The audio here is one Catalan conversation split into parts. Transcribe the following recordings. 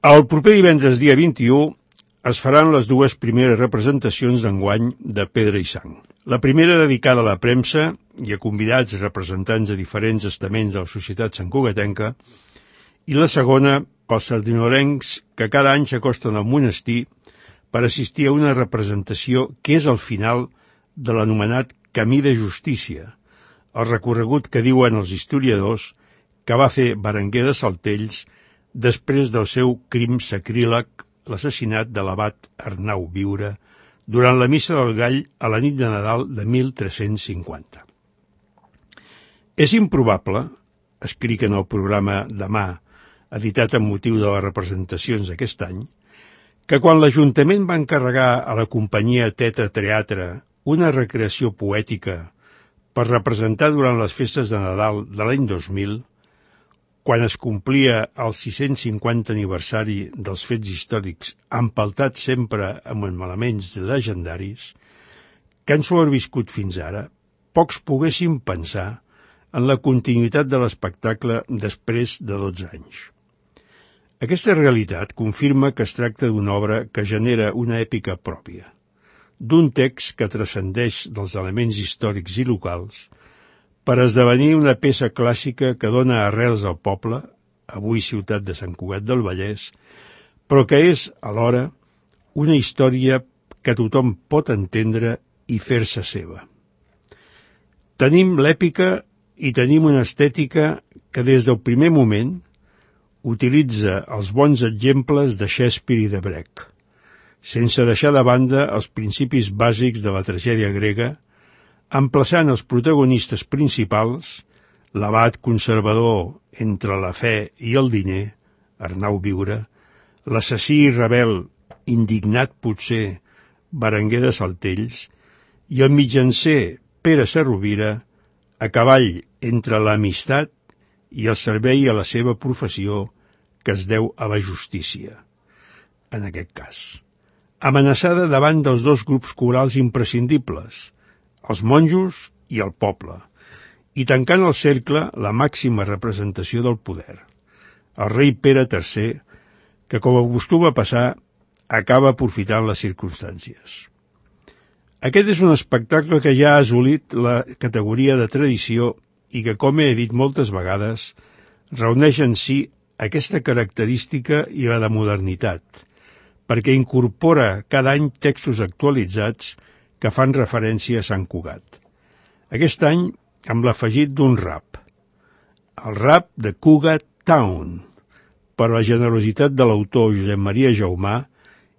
El proper divendres, dia 21, es faran les dues primeres representacions d'enguany de Pedra i Sang. La primera dedicada a la premsa i a convidats representants de diferents estaments de la societat santcugatenca, i la segona pels sardinolencs que cada any s'acosten al monestir per assistir a una representació que és el final de l'anomenat Camí de Justícia, el recorregut que diuen els historiadors que va fer Berenguer de Saltells després del seu crim sacríleg, l'assassinat de l'abat Arnau Viure, durant la Missa del Gall a la nit de Nadal de 1350. És improbable, escric en el programa Demà, editat amb motiu de les representacions d'aquest any, que quan l'Ajuntament va encarregar a la companyia Teatre Teatre una recreació poètica per representar durant les festes de Nadal de l'any 2000, quan es complia el 650 aniversari dels fets històrics empaltats sempre amb elements legendaris, que han sobreviscut fins ara, pocs poguessin pensar en la continuïtat de l'espectacle després de 12 anys. Aquesta realitat confirma que es tracta d'una obra que genera una èpica pròpia, d'un text que transcendeix dels elements històrics i locals per esdevenir una peça clàssica que dona arrels al poble, avui ciutat de Sant Cugat del Vallès, però que és, alhora, una història que tothom pot entendre i fer-se seva. Tenim l'èpica i tenim una estètica que des del primer moment utilitza els bons exemples de Shakespeare i de Brecht, sense deixar de banda els principis bàsics de la tragèdia grega, emplaçant els protagonistes principals, l'abat conservador entre la fe i el diner, Arnau Viure, l'assassí i rebel, indignat potser, Berenguer de Saltells, i el mitjancer Pere Sarrovira, a cavall entre l'amistat i el servei a la seva professió que es deu a la justícia, en aquest cas. Amenaçada davant dels dos grups corals imprescindibles, els monjos i el poble, i tancant el cercle la màxima representació del poder, el rei Pere III, que, com acostuma a passar, acaba aprofitant les circumstàncies. Aquest és un espectacle que ja ha assolit la categoria de tradició i que, com he dit moltes vegades, reuneix en si aquesta característica i la de modernitat, perquè incorpora cada any textos actualitzats que fan referència a Sant Cugat. Aquest any amb l'afegit d'un rap, el rap de Cugat Town, per la generositat de l'autor Josep Maria Jaumà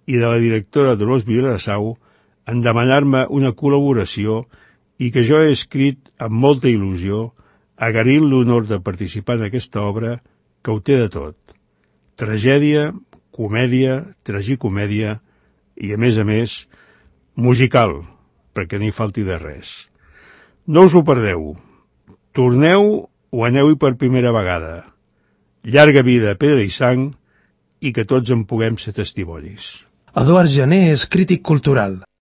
i de la directora Dolors Vilassau en demanar-me una col·laboració i que jo he escrit amb molta il·lusió, agraint l'honor de participar en aquesta obra que ho té de tot. Tragèdia, comèdia, tragicomèdia i, a més, musical, perquè no hi falti de res. No us ho perdeu. Torneu o aneu-hi per primera vegada. Llarga vida a Pedra i Sang i que tots en puguem ser testimonis. Eduard Jané és crític cultural.